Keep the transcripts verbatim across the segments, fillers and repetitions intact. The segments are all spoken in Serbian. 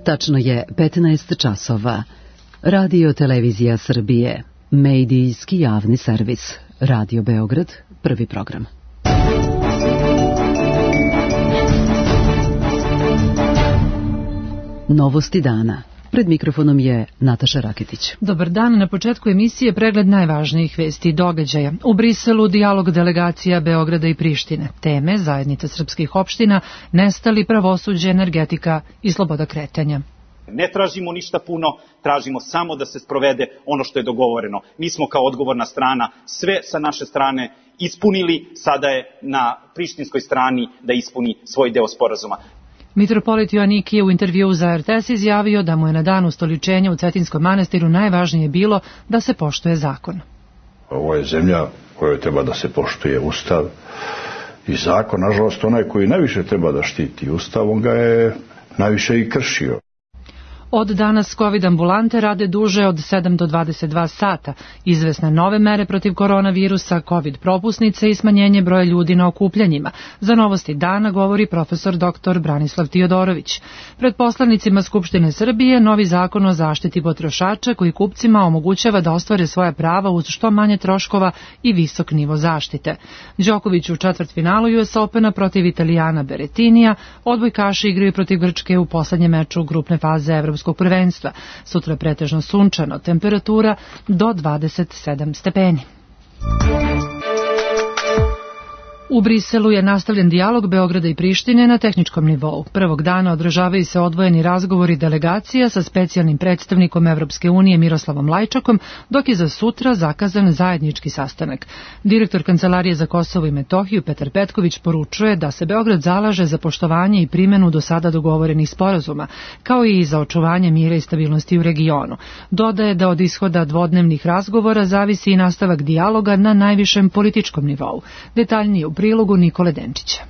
Tačno je petnaest časova. Radio Televizija Srbije. Medijski javni servis. Radio Beograd. Prvi program. Novosti dana. Pred mikrofonom je Nataša Raketić. Dobar dan, na početku emisije pregled najvažnijih vesti i događaja. U Briselu dijalog delegacija Beograda i Prištine. Teme zajednica srpskih opština, nestali, pravosuđe, energetika i sloboda kretanja. Ne tražimo ništa puno, tražimo samo da se sprovede ono što je dogovoreno. Mi smo kao odgovorna strana sve sa naše strane ispunili, sada je na prištinskoj strani da ispuni svoj deo sporazuma. Mitropolit Joanik je u intervjuu za R T S izjavio da mu je na dan ustoličenja u Cetinskom manastiru najvažnije bilo da se poštuje zakon. Ovo je zemlja kojoj treba da se poštuje ustav i zakon. Nažalost, onaj koji najviše treba da štiti ustav, on ga je najviše i kršio. Od danas COVID ambulante rade duže od sedam do dvadeset dva sata. Izvesne nove mere protiv koronavirusa, COVID propusnice i smanjenje broja ljudi na okupljanjima. Za novosti dana govori profesor doktor Branislav Tiodorović. Pred poslanicima Skupštine Srbije novi zakon o zaštiti potrošača koji kupcima omogućava da ostvare svoja prava uz što manje troškova i visok nivo zaštite. Đoković u četvrtfinalu U S Opena protiv Italijana Berettinija, odbojkaši igraju protiv Grčke u poslednjem meču grupne faze Evropskog prvenstva. Sutra pretežno sunčano, temperatura do dvadeset sedam stepeni. U Briselu je nastavljen dijalog Beograda i Prištine na tehničkom nivou. Prvog dana održavaju se odvojeni razgovori delegacija sa specijalnim predstavnikom Evropske unije Miroslavom Lajčakom, dok je za sutra zakazan zajednički sastanak. Direktor Kancelarije za Kosovo i Metohiju Petar Petković poručuje da se Beograd zalaže za poštovanje i primjenu do sada dogovorenih sporazuma, kao i za očuvanje mira i stabilnosti u regionu. Dodaje da od ishoda dvodnevnih razgovora zavisi i nastavak dijaloga na najvišem političkom nivou. Detaljnije u prilogu Nikole Denčića.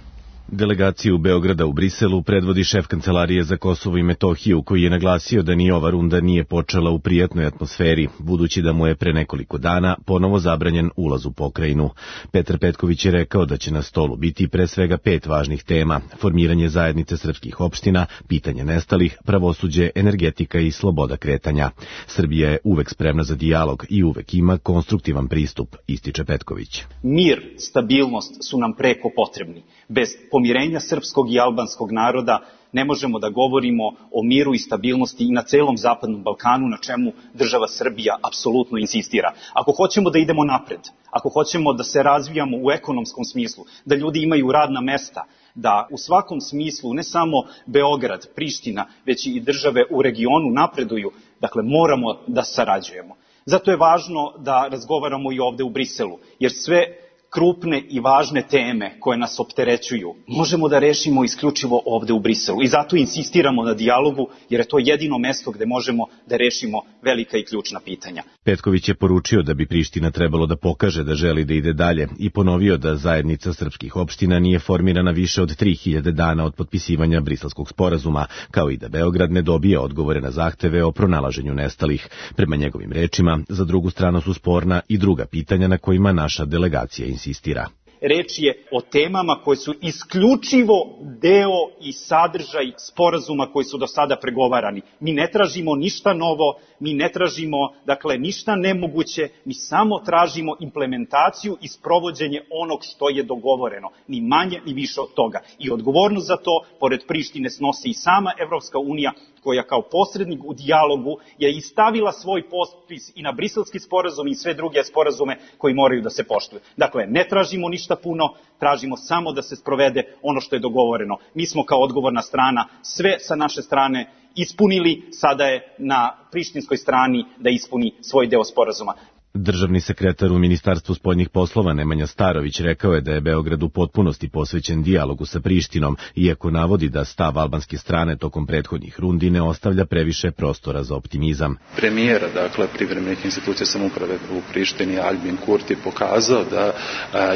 Delegaciju Beograda u Briselu predvodi šef Kancelarije za Kosovo i Metohiju, koji je naglasio da ni ova runda nije počela u prijatnoj atmosferi, budući da mu je pre nekoliko dana ponovo zabranjen ulaz u pokrajinu. Petar Petković je rekao da će na stolu biti pre svega pet važnih tema: formiranje zajednice srpskih opština, pitanje nestalih, pravosuđe, energetika i sloboda kretanja. Srbija je uvek spremna za dijalog i uvek ima konstruktivan pristup, ističe Petković. Mir, stabilnost su nam preko potrebni. Bez pomirenja srpskog i albanskog naroda ne možemo da govorimo o miru i stabilnosti i na celom Zapadnom Balkanu, na čemu država Srbija apsolutno insistira. Ako hoćemo da idemo napred, ako hoćemo da se razvijamo u ekonomskom smislu, da ljudi imaju radna mesta, da u svakom smislu ne samo Beograd, Priština, već i države u regionu napreduju, dakle moramo da sarađujemo. Zato je važno da razgovaramo i ovde u Briselu, jer sve krupne i važne teme koje nas opterećuju možemo da rešimo isključivo ovde u Briselu. I zato insistiramo na dijalogu, jer je to jedino mesto gde možemo da rešimo velika i ključna pitanja. Petković je poručio da bi Priština trebalo da pokaže da želi da ide dalje i ponovio da zajednica srpskih opština nije formirana više od tri hiljade dana od potpisivanja Briselskog sporazuma, kao i da Beograd ne dobije odgovore na zahteve o pronalaženju nestalih. Prema njegovim rečima, za drugu stranu su sporna i druga pitanja na kojima naša delegacija insistira. Reč je o temama koje su isključivo deo i sadržaj sporazuma koji su do sada pregovarani. Mi ne tražimo ništa novo, mi ne tražimo, dakle, ništa nemoguće, mi samo tražimo implementaciju i sprovođenje onog što je dogovoreno, ni manje ni više od toga. I odgovornost za to, pored Prištine, snosi i sama Evropska unija, koja kao posrednik u dijalogu je i stavila svoj potpis i na Briselski sporazum i sve druge sporazume koji moraju da se poštuju. Dakle, ne tražimo ništa puno, tražimo samo da se sprovede ono što je dogovoreno. Mi smo kao odgovorna strana sve sa naše strane ispunili, sada je na prištinskoj strani da ispuni svoj deo sporazuma. Državni sekretar u Ministarstvu spoljnih poslova Nemanja Starović rekao je da je Beograd u potpunosti posvećen dijalogu sa Prištinom, iako navodi da stav albanske strane tokom prethodnih rundi ne ostavlja previše prostora za optimizam. Premijera, dakle, privremenih institucija samouprave u Prištini, Albin Kurti, pokazao da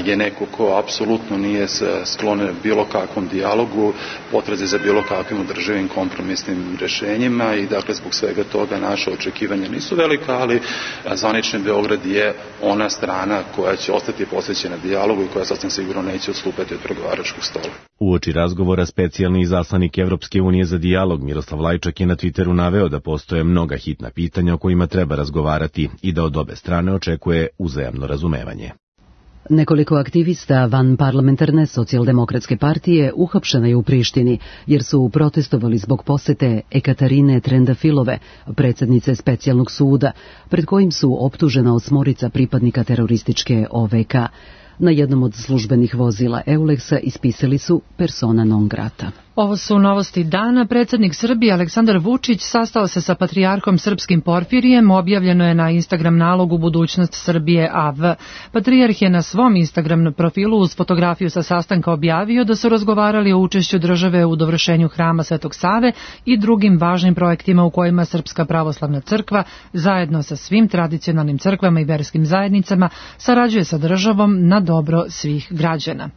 je neko ko apsolutno nije sklon bilo kakvom dijalogu, potrazi za bilo kakvim održivim kompromisnim rešenjima i, dakle, zbog svega toga naše očekivanja nisu velika, ali zvanični Beograd Beograd je ona strana koja će ostati posvećena dijalogu i koja sasvim sigurno neće odstupati od pregovaračkog stola. Uoči razgovora specijalni izaslanik Evropske unije za dijalog Miroslav Lajčak je na Twitteru naveo da postoje mnoga hitna pitanja o kojima treba razgovarati i da od obe strane očekuje uzajamno razumevanje. Nekoliko aktivista van parlamentarne socijaldemokratske partije uhapšena je u Prištini, jer su protestovali zbog posete Ekaterine Trendafilove, predsjednice specijalnog suda, pred kojim su optužena osmorica pripadnika terorističke O V K. Na jednom od službenih vozila Euleksa ispisali su persona non grata. Ovo su novosti dana. Predsjednik Srbije Aleksandar Vučić sastao se sa patrijarhom srpskim Porfirijem, objavljeno je na Instagram nalogu Budućnost Srbije A V. Patrijarh je na svom Instagram profilu uz fotografiju sa sastanka objavio da su razgovarali o učešću države u dovršenju hrama Svetog Save i drugim važnim projektima u kojima Srpska pravoslavna crkva zajedno sa svim tradicionalnim crkvama i verskim zajednicama sarađuje sa državom na dobro svih građana.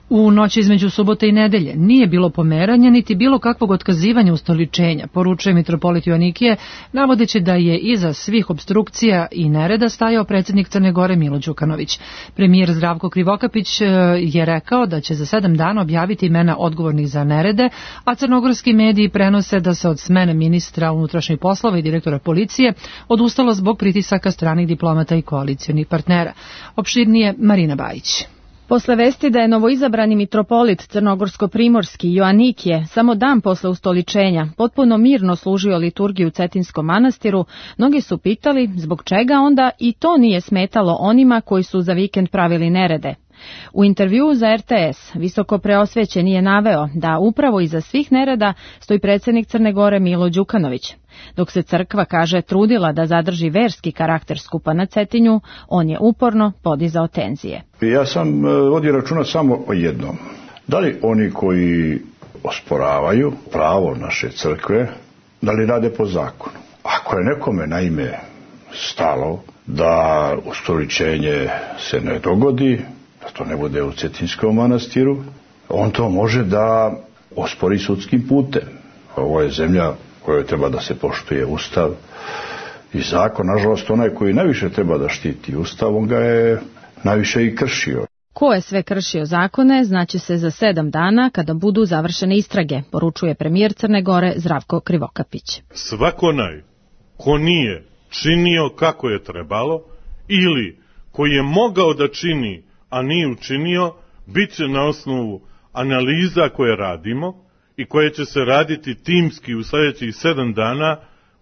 U noći između subote i nedelje nije bilo pomeranja niti bilo kakvog otkazivanja ustoličenja, poručuje mitropolit Joanikije, navodeći da je iza svih opstrukcija i nereda stajao predsjednik Crne Gore Milo Đukanović. Premijer Zdravko Krivokapić je rekao da će za sedam dana objaviti imena odgovornih za nerede, a crnogorski mediji prenose da se od smene ministra unutrašnjih poslova i direktora policije odustalo zbog pritisaka stranih diplomata i koalicionih partnera. Opširnije Marina Bajić. Posle vesti da je novoizabrani mitropolit crnogorsko-primorski Joanikije samo dan posle ustoličenja potpuno mirno služio liturgiju u Cetinskom manastiru, mnogi su pitali zbog čega onda i to nije smetalo onima koji su za vikend pravili nerede. U intervjuu za R T S visoko preosvećeni je naveo da upravo iza svih nereda stoji predsjednik Crne Gore Milo Đukanović. Dok se crkva, kaže, trudila da zadrži verski karakter skupa na Cetinju, on je uporno podizao tenzije. Ja sam vodio računa samo o jednom. Da li oni koji osporavaju pravo naše crkve, da li rade po zakonu? Ako je nekome naime stalo da ustoličenje se ne dogodi, da to ne bude u Cetinskom manastiru, on to može da ospori sudskim putem. Ovo je zemlja kojoj treba da se poštuje Ustav i zakon. Nažalost, onaj koji najviše treba da štiti Ustav, on ga je najviše i kršio. Ko je sve kršio zakone, znaće se za sedam dana kada budu završene istrage, poručuje premijer Crne Gore Zdravko Krivokapić. Svako onaj ko nije činio kako je trebalo ili koji je mogao da čini, a nije učinio, bit će na osnovu analiza koje radimo i koje će se raditi timski u sljedećih sedam dana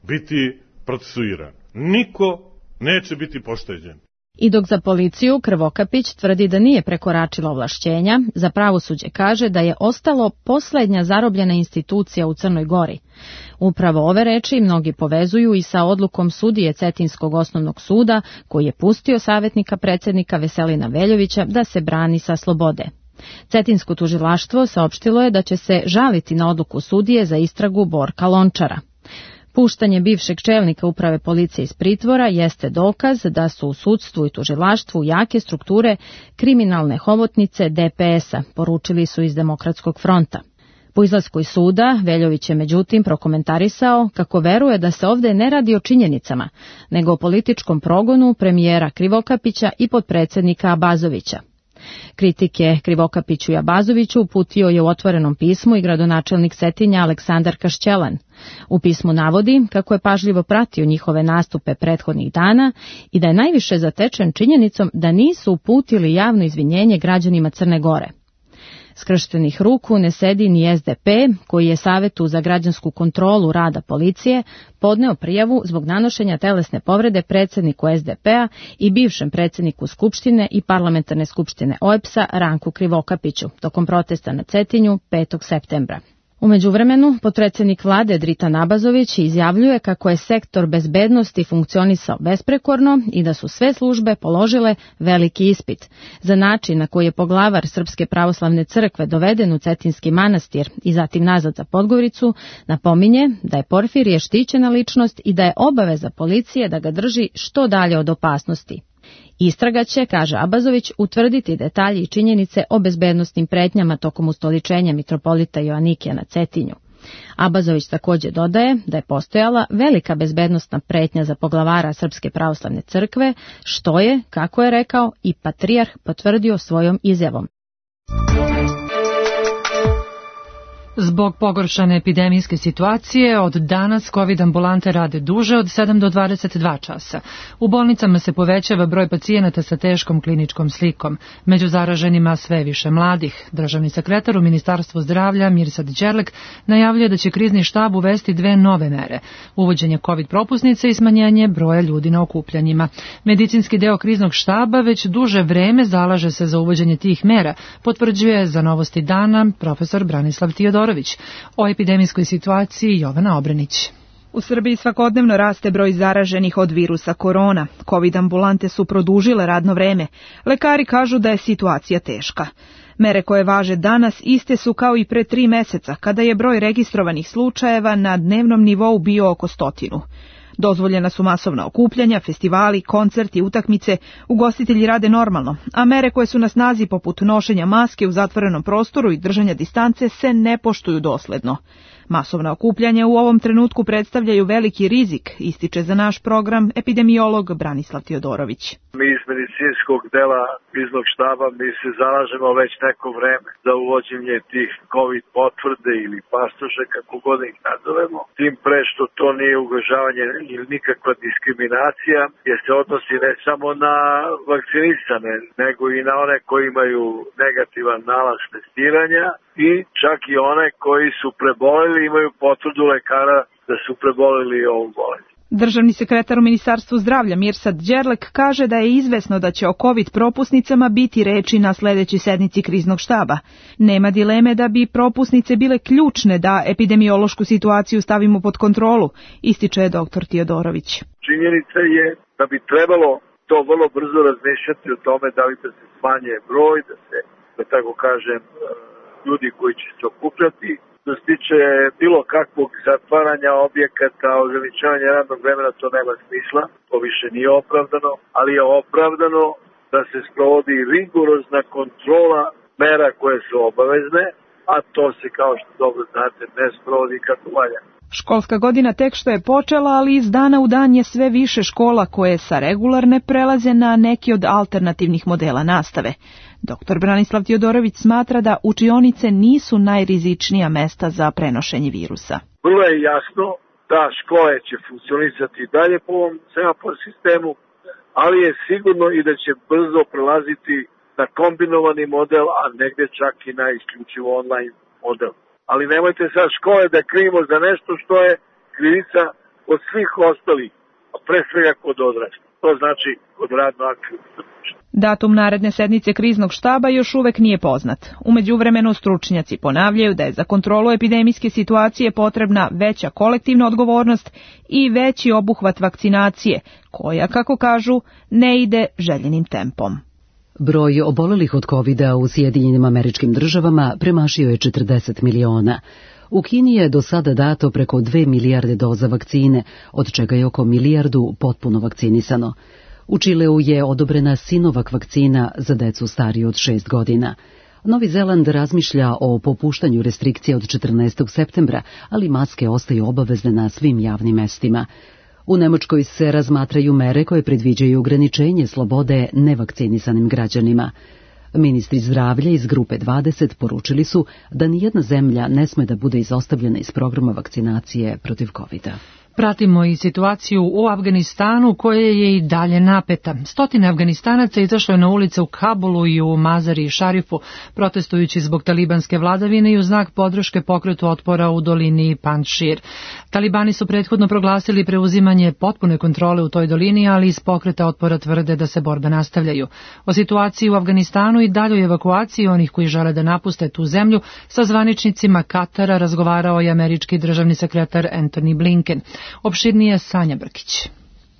biti procesuiran. Niko neće biti pošteđen. I dok za policiju Krivokapić tvrdi da nije prekoračila ovlašćenja, za pravosuđe kaže da je ostalo posljednja zarobljena institucija u Crnoj Gori. Upravo ove reči mnogi povezuju i sa odlukom sudije Cetinskog osnovnog suda, koji je pustio savjetnika predsjednika Veselina Veljovića da se brani sa slobode. Cetinsko tužilaštvo saopštilo je da će se žaliti na odluku sudije za istragu Borka Lončara. Puštanje bivšeg čelnika uprave policije iz pritvora jeste dokaz da su u sudstvu i tužilaštvu jake strukture kriminalne hobotnice D P S-a, poručili su iz Demokratskog fronta. Po izlasku iz suda, Veljović je međutim prokomentarisao kako veruje da se ovdje ne radi o činjenicama, nego o političkom progonu premijera Krivokapića i potpredsjednika Abazovića. Kritike Krivokapiću i Abazoviću uputio je u otvorenom pismu i gradonačelnik Cetinja Aleksandar Kašćelan. U pismu navodi kako je pažljivo pratio njihove nastupe prethodnih dana i da je najviše zatečen činjenicom da nisu uputili javno izvinjenje građanima Crne Gore. Skrštenih ruku ne sedi ni S D P, koji je Savetu za građansku kontrolu rada policije podneo prijavu zbog nanošenja telesne povrede predsjedniku S D P-a i bivšem predsjedniku Skupštine i parlamentarne skupštine O E P S-a Ranku Krivokapiću tokom protesta na Cetinju petog septembra. U međuvremenu, potpredsjednik vlade Dritan Abazović izjavljuje kako je sektor bezbednosti funkcionisao besprekorno i da su sve službe položile veliki ispit. Za način na koji je poglavar Srpske pravoslavne crkve doveden u Cetinski manastir i zatim nazad za Podgoricu, napominje da je Porfirije štićena ličnost i da je obaveza policije da ga drži što dalje od opasnosti. Istraga će, kaže Abazović, utvrditi detalji i činjenice o bezbednosnim pretnjama tokom ustoličenja mitropolita Joanikija na Cetinju. Abazović također dodaje da je postojala velika bezbednostna pretnja za poglavara Srpske pravoslavne crkve, što je, kako je rekao, i patrijarh potvrdio svojom izjavom. Zbog pogoršane epidemijske situacije, od danas COVID ambulante rade duže od sedam do dvadeset dva časa. U bolnicama se povećava broj pacijenata sa teškom kliničkom slikom. Među zaraženima sve više mladih. Državni sekretar u Ministarstvu zdravlja Mirsad Đerlek najavljuje da će krizni štab uvesti dve nove mere. Uvođenje COVID propusnice i smanjenje broja ljudi na okupljanjima. Medicinski deo kriznog štaba već duže vreme zalaže se za uvođenje tih mera, potvrđuje za Novosti dana profesor Branislav Tiodorović. O epidemijskoj situaciji Jovana Obrenić. U Srbiji svakodnevno raste broj zaraženih od virusa korona. COVID ambulante su produžile radno vreme. Lekari kažu da je situacija teška. Mere koje važe danas iste su kao i pre tri meseca, kada je broj registrovanih slučajeva na dnevnom nivou bio oko stotinu. Dozvoljena su masovna okupljanja, festivali, koncerti, utakmice, ugostitelji rade normalno, a mere koje su na snazi poput nošenja maske u zatvorenom prostoru i držanja distance se ne poštuju dosledno. Masovna okupljanja u ovom trenutku predstavljaju veliki rizik, ističe za naš program epidemiolog Branislav Tiodorović. Mi iz medicinskog dela kriznog štaba mi se zalažemo već neko vreme za uvođenje tih COVID potvrde ili pasoše, kako god ih nazovemo. Tim pre što to nije ugrožavanje ili nikakva diskriminacija, jer se odnosi ne samo na vakcinisane, nego i na one koji imaju negativan nalaz testiranja i čak i one koji su preboleli imaju potvrdu lekara da su preboleli ovu bolest. Državni sekretar u Ministarstvu zdravlja Mirsad Đerlek kaže da je izvesno da će o COVID propusnicama biti reči na sledećoj sednici kriznog štaba. Nema dileme da bi propusnice bile ključne da epidemiološku situaciju stavimo pod kontrolu, ističe doktor Tiodorović. Činjenica je da bi trebalo to vrlo brzo razmišljati o tome da li da se smanje broj, da se, da tako kažem, ljudi koji će se okupljati. Što se tiče bilo kakvog zatvaranja objekata, ograničavanja radnog vremena, to nema smisla, to više nije opravdano, ali je opravdano da se sprovodi rigorozna kontrola mera koje su obavezne, a to se, kao što dobro znate, ne sprovodi kako valja. Školska godina tek što je počela, ali iz dana u dan je sve više škola koje sa regularne prelaze na neki od alternativnih modela nastave. Doktor Branislav Tiodorović smatra da učionice nisu najrizičnija mesta za prenošenje virusa. Vrlo je jasno da škole će funkcionisati i dalje po ovom semafor sistemu, ali je sigurno i da će brzo prelaziti na kombinovani model, a negde čak i na isključivo online model. Ali nemojte sad škole da krivimo za nešto što je krivica od svih ostalih, a pre svega kod odraslih. To znači kod radno aktivnih. Datum naredne sednice kriznog štaba još uvek nije poznat. U međuvremenu stručnjaci ponavljaju da je za kontrolu epidemijske situacije potrebna veća kolektivna odgovornost i veći obuhvat vakcinacije, koja, kako kažu, ne ide željenim tempom. Broj obolelih od kovida u Sjedinjenim Američkim Državama premašio je četrdeset miliona. U Kini je do sada dato preko dve milijarde doza vakcine, od čega je oko milijardu potpuno vakcinisano. U Čileu je odobrena Sinovac vakcina za decu stariju od šest godina. Novi Zeland razmišlja o popuštanju restrikcija od četrnaestog septembra, ali maske ostaju obavezne na svim javnim mestima. U Nemačkoj se razmatraju mere koje predviđaju ograničenje slobode nevakcinisanim građanima. Ministri zdravlja iz grupe dvadeset poručili su da nijedna zemlja ne sme da bude izostavljena iz programa vakcinacije protiv kovida. Pratimo i situaciju u Afganistanu koja je i dalje napeta. Stotine Afganistanaca izašlo je na ulice u Kabulu i u Mazari i Šarifu, protestujući zbog talibanske vladavine i u znak podrške pokretu otpora u dolini Panjšir. Talibani su prethodno proglasili preuzimanje potpune kontrole u toj dolini, ali iz pokreta otpora tvrde da se borbe nastavljaju. O situaciji u Afganistanu i daljoj evakuaciji onih koji žele da napuste tu zemlju sa zvaničnicima Katara razgovarao je američki državni sekretar Antony Blinken. Opširnije Sanja Brkić.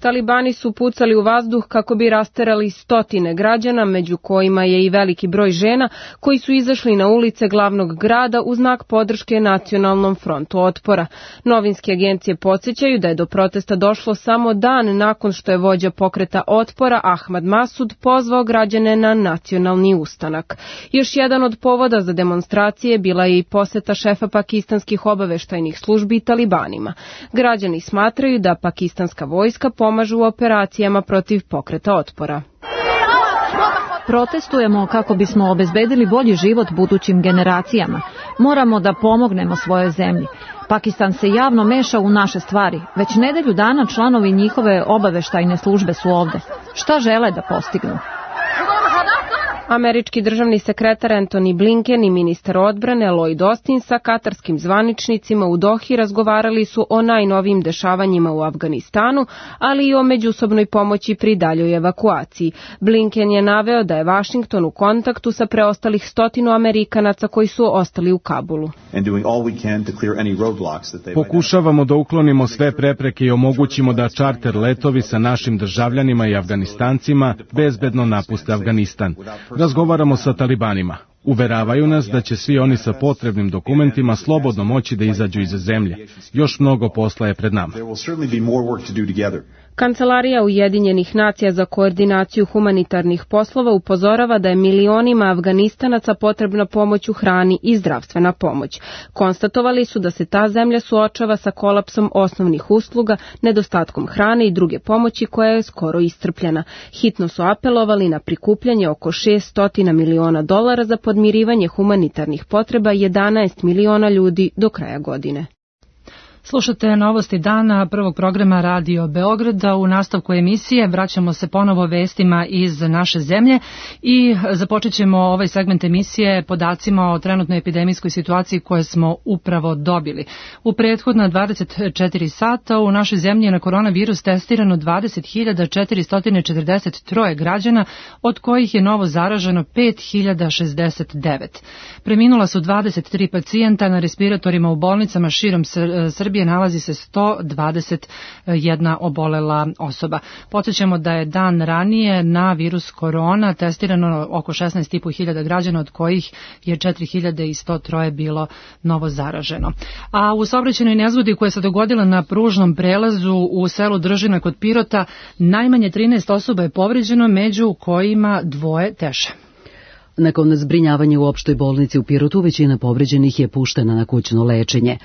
Talibani su pucali u vazduh kako bi rasterali stotine građana, među kojima je i veliki broj žena koji su izašli na ulice glavnog grada u znak podrške Nacionalnom frontu otpora. Novinske agencije podsjećaju da je do protesta došlo samo dan nakon što je vođa pokreta otpora Ahmad Masud pozvao građane na nacionalni ustanak. Još jedan od povoda za demonstracije bila je i poseta šefa pakistanskih obaveštajnih službi Talibanima. Građani smatraju da pakistanska vojska pomažu u operacijama protiv pokreta otpora. Protestujemo kako bismo obezbedili bolji život budućim generacijama. Moramo da pomognemo svojoj zemlji. Pakistan se javno meša u naše stvari. Već nedelju dana članovi njihove obaveštajne službe su ovde. Šta žele da postignu? Američki državni sekretar Antony Blinken i ministar odbrane Lloyd Austin sa katarskim zvaničnicima u Dohi razgovarali su o najnovijim dešavanjima u Afganistanu, ali i o međusobnoj pomoći pri daljoj evakuaciji. Blinken je naveo da je Vašington u kontaktu sa preostalih stotinu Amerikanaca koji su ostali u Kabulu. Pokušavamo da uklonimo sve prepreke i omogućimo da čarter letovi sa našim državljanima i Afganistancima bezbedno napuste Afganistan. Razgovaramo sa Talibanima. Uveravaju nas da će svi oni sa potrebnim dokumentima slobodno moći da izađu iz zemlje. Još mnogo posla je pred nama. Kancelarija Ujedinjenih nacija za koordinaciju humanitarnih poslova upozorava da je milionima Afganistanaca potrebna pomoć u hrani i zdravstvena pomoć. Konstatovali su da se ta zemlja suočava sa kolapsom osnovnih usluga, nedostatkom hrane i druge pomoći koja je skoro iscrpljena. Hitno su apelovali na prikupljanje oko šessto miliona dolara za podmirivanje humanitarnih potreba jedanaest miliona ljudi do kraja godine. Slušate novosti dana prvog programa Radio Beograda. U nastavku emisije vraćamo se ponovo vestima iz naše zemlje i započet ćemo ovaj segment emisije podacima o trenutnoj epidemijskoj situaciji koje smo upravo dobili. U prethodna dvadeset četiri sata u našoj zemlji je na koronavirus testirano dvadeset hiljada četiristo četrdeset tri građana, od kojih je novo zaraženo pet hiljada šezdeset devet. Preminula su dvadeset tri pacijenta, na respiratorima u bolnicama širom Srbije nalazi se sto dvadeset jedna obolela osoba. Podsjećamo da je dan ranije na virus korona testirano oko šesnaest i po hiljada građana, od kojih je četiri hiljade sto tri bilo novo zaraženo. A u saobraćajnoj nezgodi koja se dogodila na pružnom prelazu u selu Držina kod Pirota, najmanje trinaest osoba je povređeno, među kojima dvoje teže. Nakon zbrinjavanja u opštoj bolnici u Pirotu, većina povređenih je puštena na kućno lečenje.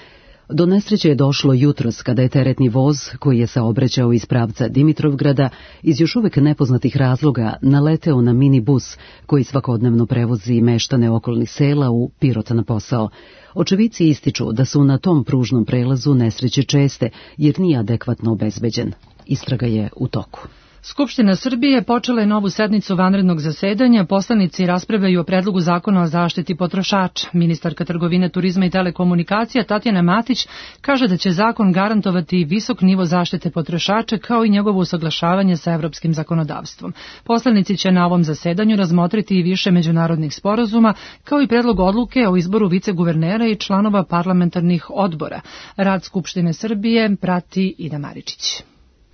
Do nesreće je došlo jutros kada je teretni voz, koji je saobraćao iz pravca Dimitrovgrada, iz još uvek nepoznatih razloga naleteo na minibus koji svakodnevno prevozi meštane okolnih sela u Pirot na posao. Očevici ističu da su na tom pružnom prelazu nesreće česte jer nije adekvatno obezbeđen. Istraga je u toku. Skupština Srbije počela je novu sednicu vanrednog zasedanja. Poslanici raspravljaju o predlogu zakona o zaštiti potrošača. Ministarka trgovine, turizma i telekomunikacija Tatjana Matić kaže da će zakon garantovati visok nivo zaštite potrošača kao i njegovo usaglašavanje sa evropskim zakonodavstvom. Poslanici će na ovom zasedanju razmotriti i više međunarodnih sporazuma, kao i predlog odluke o izboru viceguvernera i članova parlamentarnih odbora. Rad Skupštine Srbije prati Ida Maričić.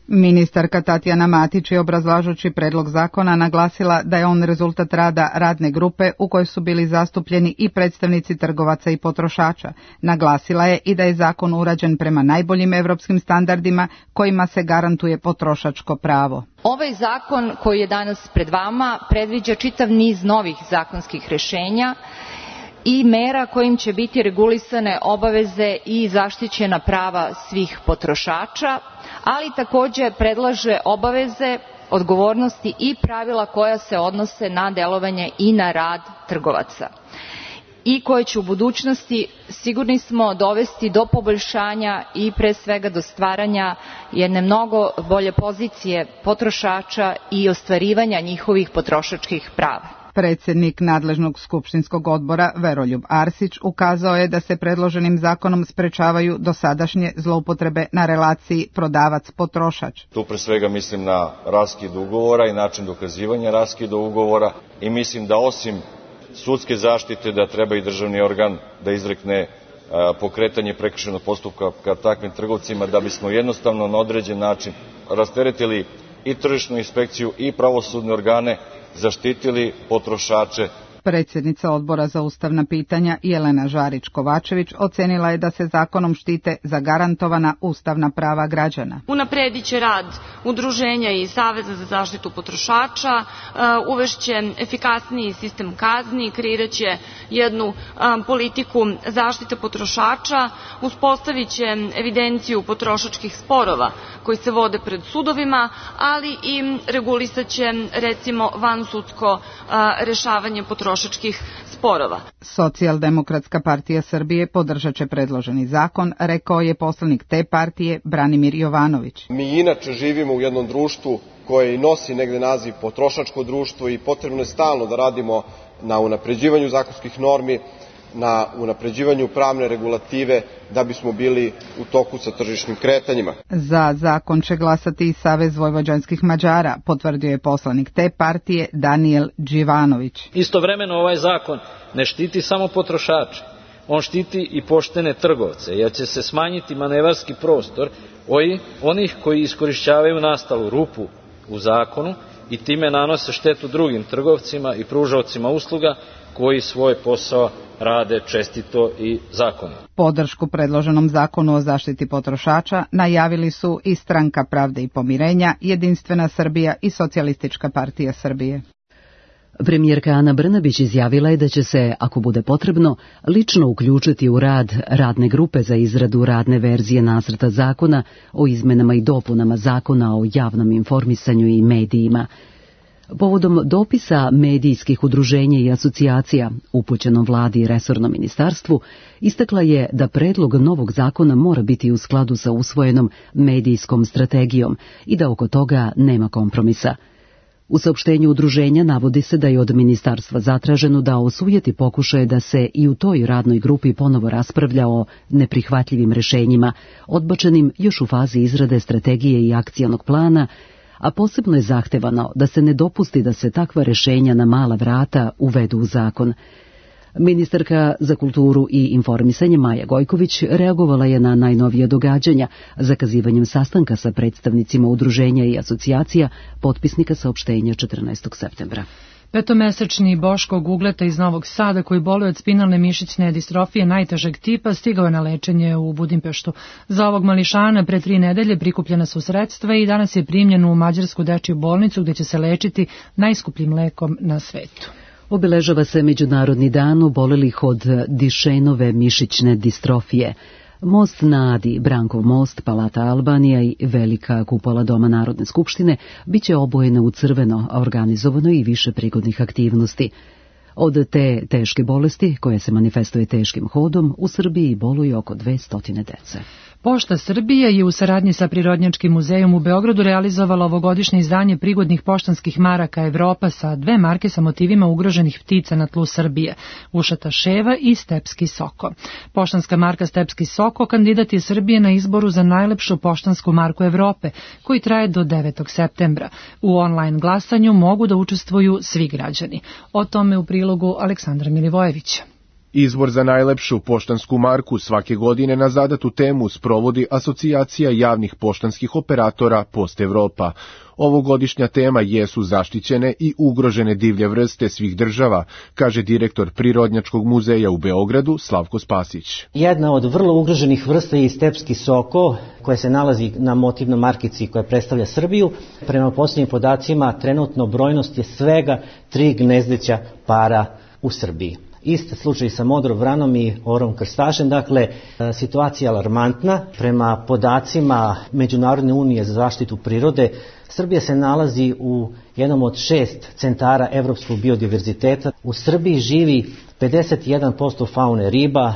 Ministarka Tatjana Matić je obrazlažući predlog zakona naglasila da je on rezultat rada radne grupe u kojoj su bili zastupljeni i predstavnici trgovaca i potrošača. Naglasila je i da je zakon urađen prema najboljim evropskim standardima kojima se garantuje potrošačko pravo. Ovaj zakon koji je danas pred vama predviđa čitav niz novih zakonskih rešenja i mera kojim će biti regulisane obaveze i zaštićena prava svih potrošača, ali takođe predlaže obaveze, odgovornosti i pravila koja se odnose na delovanje i na rad trgovaca i koje će u budućnosti, sigurni smo, dovesti do poboljšanja i pre svega do stvaranja jedne mnogo bolje pozicije potrošača i ostvarivanja njihovih potrošačkih prava. Predsjednik nadležnog skupštinskog odbora Veroljub Arsić ukazao je da se predloženim zakonom sprečavaju dosadašnje zloupotrebe na relaciji prodavac-potrošač. Tu pre svega mislim na raskid ugovora i način dokazivanja raskida ugovora i mislim da osim sudske zaštite da treba i državni organ da izrekne pokretanje prekršajnog postupka ka takvim trgovcima, da bismo jednostavno na određen način rasteretili i tržišnu inspekciju i pravosudne organe, zaštitili potrošače. Predsjednica Odbora za ustavna pitanja Jelena Žarić-Kovačević ocenila je da se zakonom štite zagarantovana ustavna prava građana. Unapredit će rad udruženja i Saveza za zaštitu potrošača, uvešće efikasniji sistem kazni, kreirat će jednu politiku zaštite potrošača, uspostavit će evidenciju potrošačkih sporova koji se vode pred sudovima, ali i regulisat će recimo vansudsko rešavanje potrošača sporova. Socijaldemokratska partija Srbije podržat će predloženi zakon, rekao je poslanik te partije Branimir Jovanović. Mi inače živimo u jednom društvu koje i nosi negde naziv potrošačko društvo i potrebno je stalno da radimo na unapređivanju zakonskih normi, na unapređivanju pravne regulative da bismo bili u toku sa tržišnim kretanjima. Za zakon će glasati i Savez vojvođanskih Mađara, potvrdio je poslanik te partije Danijel Đivanović. Istovremeno ovaj zakon ne štiti samo potrošače, on štiti i poštene trgovce, jer će se smanjiti manevarski prostor onih koji iskorišćavaju nastalu rupu u zakonu i time nanose štetu drugim trgovcima i pružaocima usluga koji svoj posao rade čestito i zakonito. Podršku predloženom zakonu o zaštiti potrošača najavili su i Stranka pravde i pomirenja, Jedinstvena Srbija i Socijalistička partija Srbije. Premijerka Ana Brnabić izjavila je da će se, ako bude potrebno, lično uključiti u rad radne grupe za izradu radne verzije nacrta zakona o izmenama i dopunama zakona o javnom informisanju i medijima. Povodom dopisa medijskih udruženja i asocijacija upućenom vladi i resornom ministarstvu, istakla je da predlog novog zakona mora biti u skladu sa usvojenom medijskom strategijom i da oko toga nema kompromisa. U saopštenju udruženja navodi se da je od ministarstva zatraženo da osujeti pokušaje da se i u toj radnoj grupi ponovo raspravlja o neprihvatljivim rešenjima, odbačenim još u fazi izrade strategije i akcionog plana, a posebno je zahtevano da se ne dopusti da se takva rešenja na mala vrata uvedu u zakon. Ministarka za kulturu i informisanje Maja Gojković reagovala je na najnovije događanja zakazivanjem sastanka sa predstavnicima udruženja i asocijacija potpisnika saopštenja četrnaestog septembra. Petomesečni Boško Gugleta iz Novog Sada, koji boluje od spinalne mišićne distrofije najtežeg tipa, stigao je na lečenje u Budimpeštu. Za ovog mališana pre tri nedelje prikupljena su sredstva i danas je primljen u Mađarsku dečiju bolnicu gdje će se lečiti najskupljim lekom na svetu. Obeležava se Međunarodni dan obolelih od Dišenove mišićne distrofije. Most na Adi, Brankov most, Palata Albanija i velika kupola Doma Narodne skupštine biće obojene u crveno, a organizovano i više prigodnih aktivnosti. Od te teške bolesti, koja se manifestuje teškim hodom, u Srbiji boluje oko dvesta dece. Pošta Srbije je u saradnji sa Prirodnjačkim muzejom u Beogradu realizovala ovogodišnje izdanje prigodnih poštanskih maraka Evropa sa dve marke sa motivima ugroženih ptica na tlu Srbije, ušata ševa i stepski soko. Poštanska marka Stepski soko kandidat je Srbije na izboru za najlepšu poštansku marku Evrope, koji traje do devetog septembra. U online glasanju mogu da učestvuju svi građani. O tome u prilogu Aleksandra Milivojevića. Izbor za najlepšu poštansku marku svake godine na zadatu temu sprovodi Asocijacija javnih poštanskih operatora Post Evropa. Ovogodišnja tema jesu zaštićene i ugrožene divlje vrste svih država, kaže direktor Prirodnjačkog muzeja u Beogradu Slavko Spasić. Jedna od vrlo ugroženih vrsta je stepski soko, koja se nalazi na motivnoj markici koja predstavlja Srbiju. Prema posljednjim podacima, trenutno brojnost je svega tri gnezdeća para u Srbiji. Isti slučaj sa modrom vranom i orom krstašem, dakle situacija je alarmantna. Prema podacima Međunarodne unije za zaštitu prirode, Srbija se nalazi u jednom od šest centara evropskog biodiverziteta. U Srbiji živi pedeset jedan posto faune riba,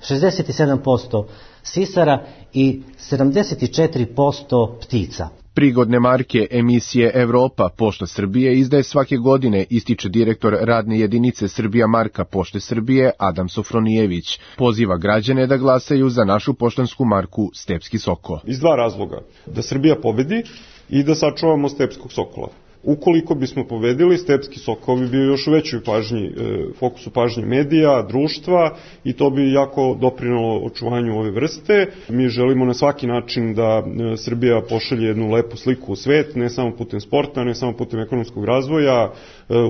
šezdeset sedam posto sisara i sedamdeset četiri posto ptica. Prigodne marke emisije Evropa Pošta Srbije izdaje svake godine, ističe direktor radne jedinice Srbija marka Pošte Srbije Adam Sofronijević. Poziva građane da glasaju za našu poštansku marku Stepski soko. Iz dva razloga. Da Srbija pobedi i da sačuvamo stepskog sokola. Ukoliko bismo pobedili, Stepski Sokol bi bio još u većoj pažnji, fokusu pažnje medija, društva i to bi jako doprinalo očuvanju ove vrste. Mi želimo na svaki način da Srbija pošalje jednu lepu sliku u svet, ne samo putem sporta, ne samo putem ekonomskog razvoja,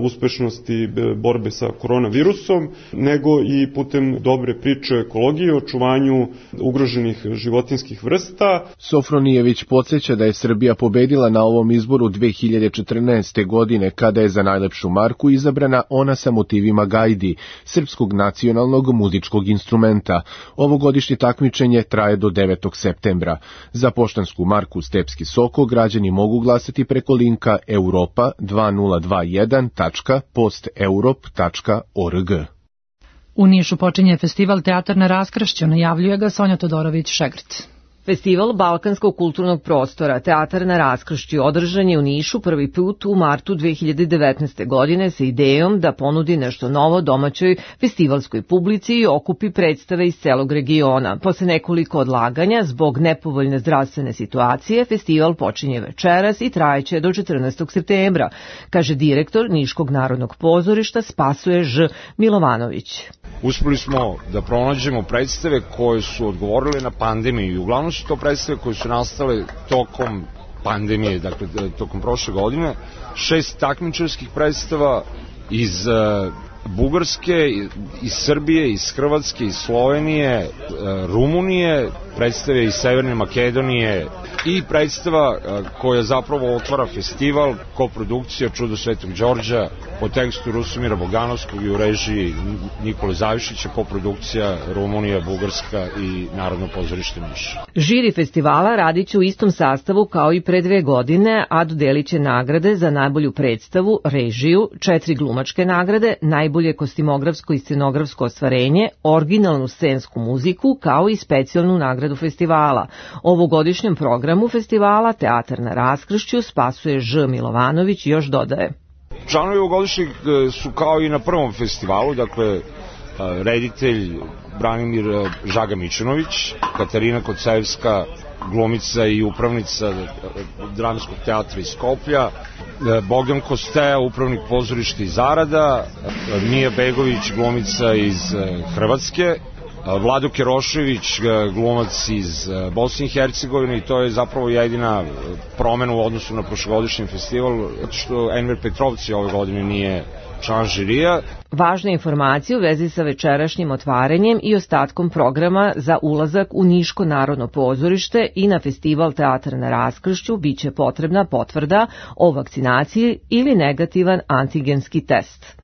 uspešnosti borbe sa koronavirusom, nego i putem dobre priče o ekologiji, očuvanju ugroženih životinskih vrsta. Sofronijević podsjeća da je Srbija pobedila na ovom izboru dve hiljade četrnaeste. godine kada je za najlepšu marku izabrana ona sa motivima gajdi, srpskog nacionalnog muzičkog instrumenta. Ovogodišnje takmičenje traje do devetog septembra. Za poštansku marku Stepski Soko građani mogu glasati preko linka europa dva nula dva jedan tačka post europ tačka org. U Nišu počinje festival Teatar na raskršću, najavljuje ga Sonja Todorović-Šegrt. Festival Balkanskog kulturnog prostora Teatar na raskršću održan je u Nišu prvi put u martu dve hiljade devetnaeste. godine sa idejom da ponudi nešto novo domaćoj festivalskoj publici i okupi predstave iz celog regiona. Posle nekoliko odlaganja, zbog nepovoljne zdravstvene situacije, festival počinje večeras i trajeće do četrnaestog septembra, kaže direktor Niškog narodnog pozorišta Spasoje Ž. Milovanović. Uspeli smo da pronađemo predstave koje su odgovorile na pandemiju i uglavnom su to predstave koje su nastale tokom pandemije, dakle tokom prošle godine. Šest takmičarskih predstava iz uh, Bugarske, iz Srbije, iz Hrvatske, iz Slovenije, uh, Rumunije, predstave iz Severne Makedonije i predstava uh, koja zapravo otvara festival, koprodukcija Čudo Svetog Đorđa po tekstu Rusomira Boganovskog i u režiji Nikole Zavišića, koprodukcija Rumunija, Bugarska i Narodno pozorište Niš. Žiri festivala radit će u istom sastavu kao i pre dve godine, a dodelit će nagrade za najbolju predstavu, režiju, četiri glumačke nagrade, najbolje kostimografsko i scenografsko ostvarenje, originalnu scensku muziku, kao i specijalnu nagradu festivala. Ovogodišnjem programu festivala Teatar na raskršću Spasoje Ž. Milovanović još dodaje. Članovi ovogodišnjeg su kao i na prvom festivalu, dakle reditelj Branimir Žaga Mićunović, Katarina Kocevska, glumica i upravnica Dramskog teatra iz Skoplja, Bogdan Kosteja, upravnik pozorišta iz Arada, Mija Begović, glumica iz Hrvatske, Vlado Kerošević, glumac iz Bosne i Hercegovine, i to je zapravo jedina promena u odnosu na prošlogodišnji festival, što Enver Petrovci ove godine nije član žirija. Važne informacije u vezi sa večerašnjim otvaranjem i ostatkom programa za ulazak u Niško narodno pozorište i na festival Teatar na raskršću biće potrebna potvrda o vakcinaciji ili negativan antigenski test.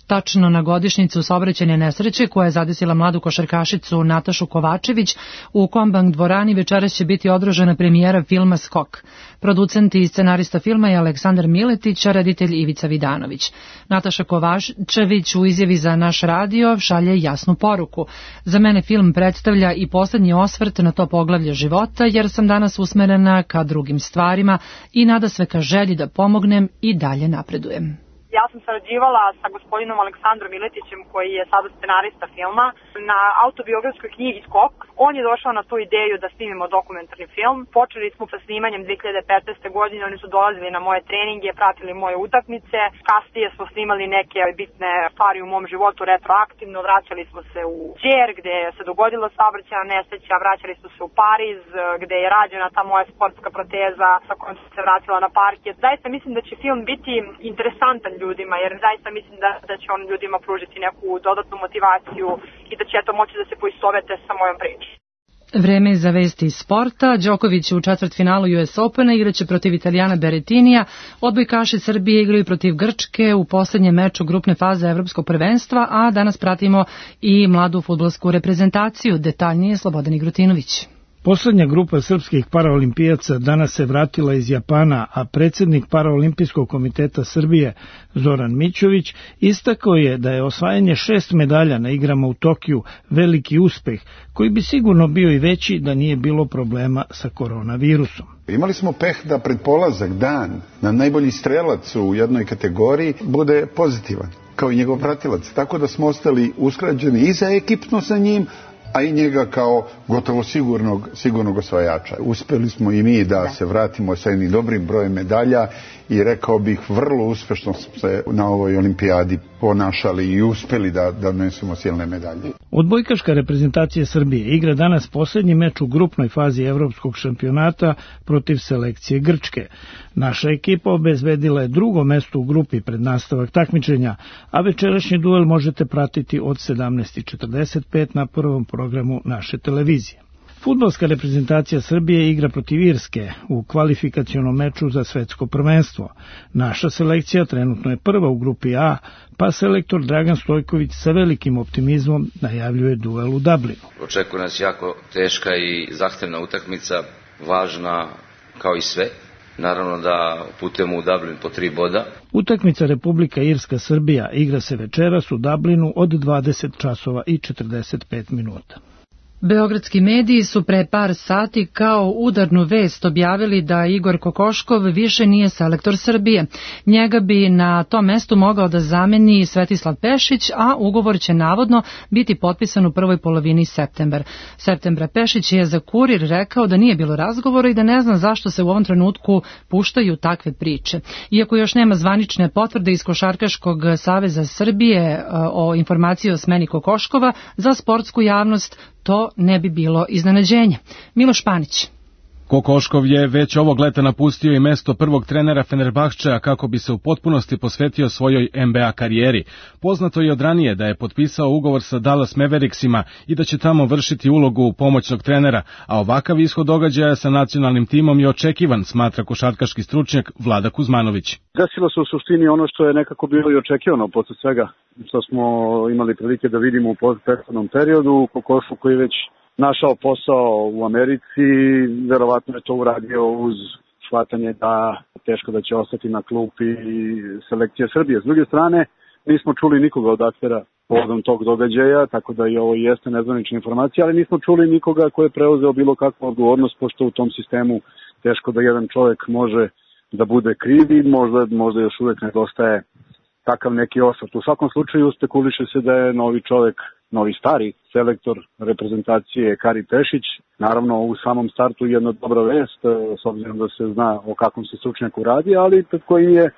Tačno na godišnjicu saobraćajne nesreće koja je zadesila mladu košarkašicu Natašu Kovačević, u Kombank dvorani večeras će biti održana premijera filma Skok. Producent i scenarista filma je Aleksandar Miletić, a reditelj Ivica Vidanović. Nataša Kovačević u izjavi za naš radio šalje jasnu poruku. Za mene film predstavlja i poslednji osvrt na to poglavlje života, jer sam danas usmerena ka drugim stvarima i nada sve ka želji da pomognem i dalje napredujem. Ja sam sarađivala sa gospodinom Aleksandrom Miletićem, koji je sada scenarista filma, na autobiografskoj knjigi Skok. On je došao na tu ideju da snimimo dokumentarni film. Počeli smo sa snimanjem dve hiljade petnaeste. godine, oni su dolazili na moje treninge, pratili moje utakmice. Kasnije smo snimali neke bitne stvari u mom životu retroaktivno, vraćali smo se u Đer, gde se dogodila saobraćajna nesreća, vraćali smo se u Pariz, gde je rađena ta moja sportska proteza sa kojom sam se vratila na parket. Zaista mislim da će film biti interesantan ljudima, jer zaista mislim da, da će on ljudima pružiti neku dodatnu motivaciju i da će eto moći da se poistovete sa mojom pričom. Vreme za vesti iz sporta. Đoković u četvrtfinalu U S Opena igraće protiv Italijana Berettinija. Odbojkaši Srbije igraju protiv Grčke u poslednjem meču grupne faze Evropskog prvenstva, a danas pratimo i mladu fudbalsku reprezentaciju. Detaljnije Slobodan Igrutinović. Poslednja grupa srpskih paraolimpijaca danas se vratila iz Japana, a predsjednik Paraolimpijskog komiteta Srbije Zoran Mićović istakao je da je osvajanje šest medalja na igrama u Tokiju veliki uspeh, koji bi sigurno bio i veći da nije bilo problema sa koronavirusom. Imali smo peh da pred polazak dan na najbolji strelac u jednoj kategoriji bude pozitivan, kao i njegov pratilac, tako da smo ostali usklađeni i za ekipno sa njim, a i njega kao gotovo sigurnog, sigurnog osvajača. Uspeli smo i mi da, da se vratimo sa jednim dobrim brojem medalja i rekao bih vrlo uspešno smo se na ovoj olimpijadi ponašali i uspeli da, da donesemo silne medalje. Odbojkaška reprezentacija Srbije igra danas poslednji meč u grupnoj fazi evropskog šampionata protiv selekcije Grčke. Naša ekipa obezbedila je drugo mesto u grupi pred nastavak takmičenja, a večerašnji duel možete pratiti od sedamnaest četrdeset pet na prvom programu naše televizije. Fudbalska reprezentacija Srbije igra protiv Irske u kvalifikacionom meču za svetsko prvenstvo. Naša selekcija trenutno je prva u grupi A, pa selektor Dragan Stojković sa velikim optimizmom najavljuje duel u Dublinu. Očekuje nas jako teška i zahtevna utakmica, važna kao i sve. Naravno da putujemo u Dublin po tri boda. Utakmica Republika Irska-Srbija igra se večeras u Dublinu od dvadeset časova i četrdeset pet minuta. Beogradski mediji su pre par sati kao udarnu vest objavili da Igor Kokoškov više nije selektor Srbije. Njega bi na tom mestu mogao da zameni Svetislav Pešić, a ugovor će navodno biti potpisan u prvoj polovini septembra. Septembra Pešić je za Kurir rekao da nije bilo razgovora i da ne zna zašto se u ovom trenutku puštaju takve priče. Iako još nema zvanične potvrde iz Košarkaškog saveza Srbije o informaciji o smeni Kokoškova, za sportsku javnost to ne bi bilo iznenađenje. Miloš Panić. Kokoškov je već ovog leta napustio i mesto prvog trenera Fenerbahčea kako bi se u potpunosti posvetio svojoj N B A karijeri. Poznato je od ranije da je potpisao ugovor sa Dallas Mavericksima i da će tamo vršiti ulogu pomoćnog trenera, a ovakav ishod događaja sa nacionalnim timom je očekivan, smatra košarkaški stručnjak Vlada Kuzmanović. Desilo se u suštini ono što je nekako bilo i očekivano posle svega što smo imali prilike da vidimo u prethodnom periodu. Kokoškov koji već našao posao u Americi, verovatno je to uradio uz shvatanje da teško da će ostati na klupi selekcije Srbije. S druge strane, nismo čuli nikoga od aktera povodom tog događaja, tako da i ovo jeste nezvanična informacija, ali nismo čuli nikoga ko je preuzeo bilo kakvu odgovornost, pošto u tom sistemu teško da jedan čovjek može da bude kriv i možda, možda još uvek nedostaje takav neki osvrt. U svakom slučaju spekuliše se da je novi čovjek, novi stari selektor reprezentacije Kari Pešić. Naravno u samom startu jedna dobra vest, s obzirom da se zna o kakvom se stručnjaku radi, ali pred kojim je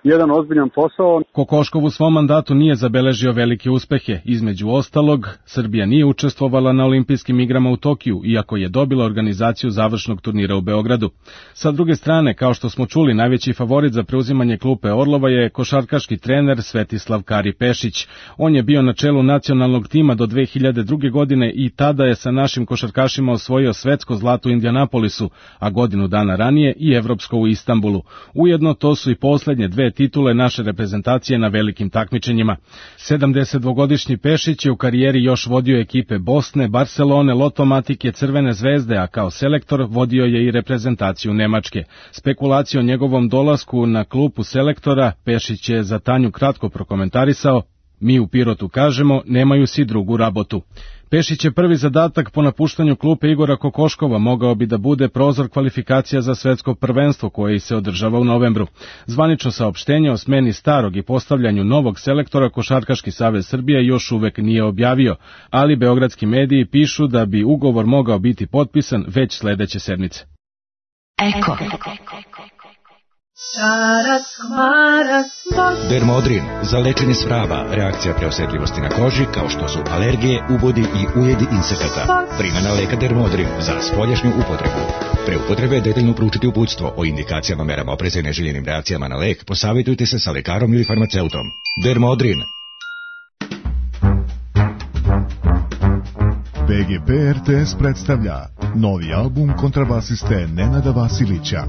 jedan ozbiljan posao. Kokoškov u svom mandatu nije zabeležio velike uspehe. Između ostalog, Srbija nije učestvovala na olimpijskim igrama u Tokiju, iako je dobila organizaciju završnog turnira u Beogradu. Sa druge strane, kao što smo čuli, najveći favorit za preuzimanje klupe Orlova je košarkaški trener Svetislav Kari Pešić. On je bio na čelu nacionalnog tima do dve hiljade druge. godine i tada je sa našim košarkašima osvojio svetsko zlato u Indianapolisu, a godinu dana ranije i evropsko u Istanbulu. Ujedno to su i poslednje dve titule naše reprezentacije na velikim takmičenjima. sedamdesetdvogodišnji Pešić je u karijeri još vodio ekipe Bosne, Barcelone, Lotomatike, Crvene zvezde, a kao selektor vodio je i reprezentaciju Nemačke. Spekulacije o njegovom dolasku na klupu selektora Pešić je za Tanju kratko prokomentarisao: mi u Pirotu kažemo, nemaju si drugu rabotu. Pešić je prvi zadatak po napuštanju klupe Igora Kokoškova mogao bi da bude prozor kvalifikacija za svetsko prvenstvo koje se održava u novembru. Zvanično saopštenje o smeni starog i postavljanju novog selektora Košarkaški savez Srbije još uvek nije objavio, ali beogradski mediji pišu da bi ugovor mogao biti potpisan već sledeće sedmice. Eko. Dermodrin za lečenje svraba, reakcija preosetljivosti na koži kao što su alergije, ubodi i ujedi insekata. Primjena leka Dermodrin za spoljašnju upotrebu. Pre upotrebe detaljno proučiti uputstvo o indikacijama, merama opreza i neželjenim reakcijama na lek. Posavitujte se sa lekarom ili farmaceutom. Dermodrin. B G P R T S predstavlja novi album kontrabasiste Nenada Vasilića.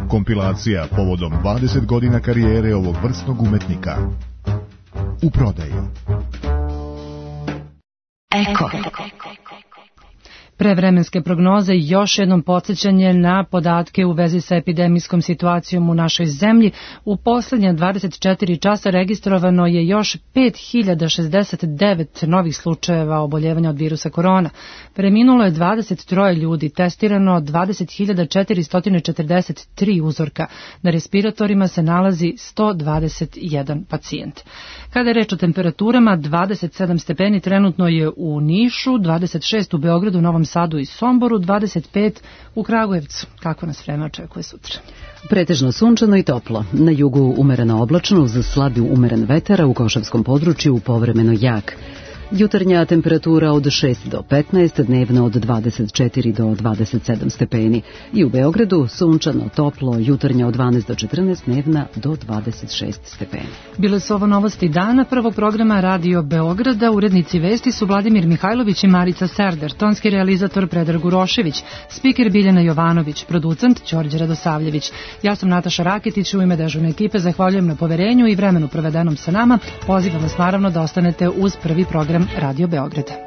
Kompilacija povodom dvadeset godina karijere ovog vrsnog umetnika. U prodaju. Eko. Prevremenske prognoze i još jednom podsjećanje na podatke u vezi sa epidemijskom situacijom u našoj zemlji. U poslednja dvadeset četiri časa registrovano je još pet hiljada šezdeset devet novih slučajeva oboljevanja od virusa korona. Preminulo je dvadeset tri ljudi, testirano dvadeset hiljada četiristo četrdeset tri uzorka. Na respiratorima se nalazi sto dvadeset jedan pacijent. Kada je reč o temperaturama, dvadeset sedam stepeni trenutno je u Nišu, dvadeset šest u Beogradu, Novom Sadu i Somboru, dvadeset pet u Kragujevcu. Kako nas vreme očekuje sutra? Pretežno sunčano i toplo. Na jugu umereno oblačno uz slabi umeren vetar, u Košavskom području povremeno jak. Jutarnja temperatura od šest do petnaest, dnevno od dvadeset četiri do dvadeset sedam stepeni. I u Beogradu sunčano, toplo, jutarnja od dvanaest do četrnaest, dnevna do dvadeset šest stepeni. Bile su ovo novosti dana prvog programa Radio Beograda. Urednici vesti su Vladimir Mihajlović i Marica Serder, tonski realizator Predrag Urošević, spiker Biljana Jovanović, producent Đorđe Radosavljević. Ja sam Nataša Raketić, u ime dežurne ekipe zahvaljujem na poverenju i vremenu provedenom sa nama. Pozivam vas naravno da ostanete uz prvi program Radio Beograda.